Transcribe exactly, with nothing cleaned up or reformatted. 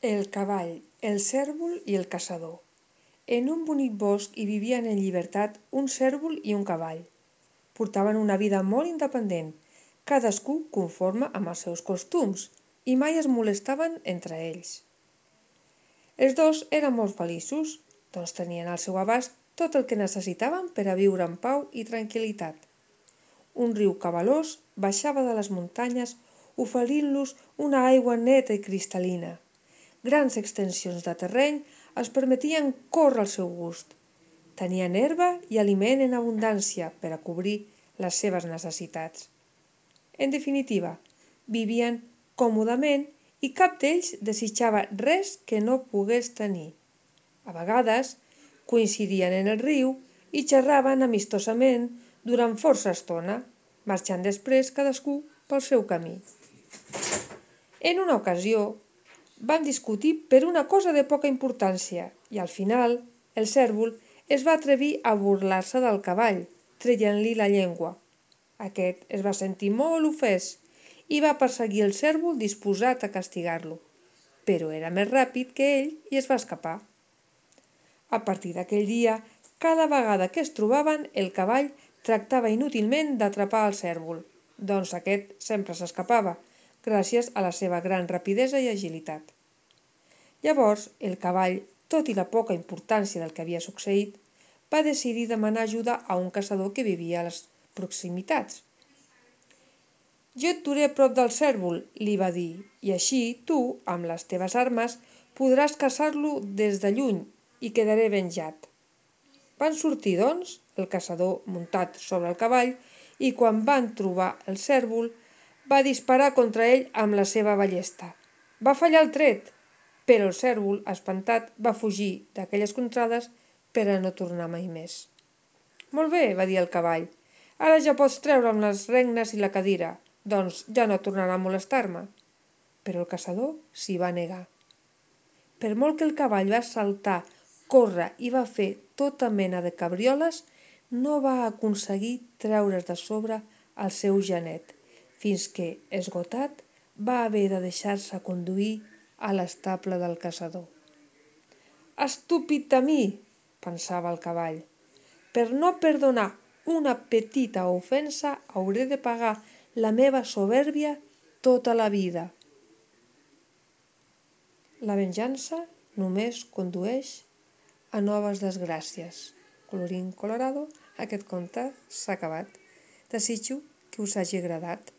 El cavall, el cérvol i el caçador. En un bonic bosc hi vivien en llibertat un cérvol i un cavall. Portaven una vida molt independent, cadascú conforme amb els seus costums, i mai es molestaven entre ells. Els dos eren molt feliços, doncs tenien al seu abast tot el que necessitaven per a viure en pau i tranquil·litat. Un riu cabalós baixava de les muntanyes oferint-los una aigua neta i cristal·lina. Grans extensions de terreny els permetien córrer al seu gust. Tenien herba i aliment en abundància per a cobrir les seves necessitats. En definitiva, vivien còmodament i cap d'ells desitjava res que no pogués tenir. A vegades, coincidien en el riu i xerraven amistosament durant força estona, marxant després cadascú pel seu camí. En una ocasió, van discutir per una cosa de poca importància i al final el cérvol es va atrevir a burlar-se del cavall, traient-li la llengua. Aquest es va sentir molt ofès i va perseguir el cérvol disposat a castigar-lo, però era més ràpid que ell i es va escapar. A partir d'aquell dia, cada vegada que es trobaven, el cavall tractava inútilment d'atrapar el cérvol, doncs aquest sempre s'escapava, gràcies a la seva gran rapidesa i agilitat. Llavors, el cavall, tot i la poca importància del que havia succeït, va decidir demanar ajuda a un caçador que vivia a les proximitats. «Jo et duré a prop del cérvol», li va dir, «i així tu, amb les teves armes, podràs caçar-lo des de lluny i quedaré venjat». Van sortir, doncs, el caçador muntat sobre el cavall i quan van trobar el cérvol va disparar contra ell amb la seva ballesta. Va fallar el tret, però el cérvol, espantat, va fugir d'aquelles contrades per a no tornar mai més. «Molt bé», va dir el cavall, «ara ja pots treure'm les regnes i la cadira, doncs ja no tornarà a molestar-me». Però el caçador s'hi va negar. Per molt que el cavall va saltar, córrer i va fer tota mena de cabrioles, no va aconseguir treure's de sobre el seu genet, fins que, esgotat, va haver de deixar-se conduir a l'estable del caçador. «Estúpid de mi», pensava el cavall, «per no perdonar una petita ofensa hauré de pagar la meva soberbia tota la vida». La venjança només condueix a noves desgràcies. Colorín colorado, aquest conte s'ha acabat. Desitjo que us hagi agradat.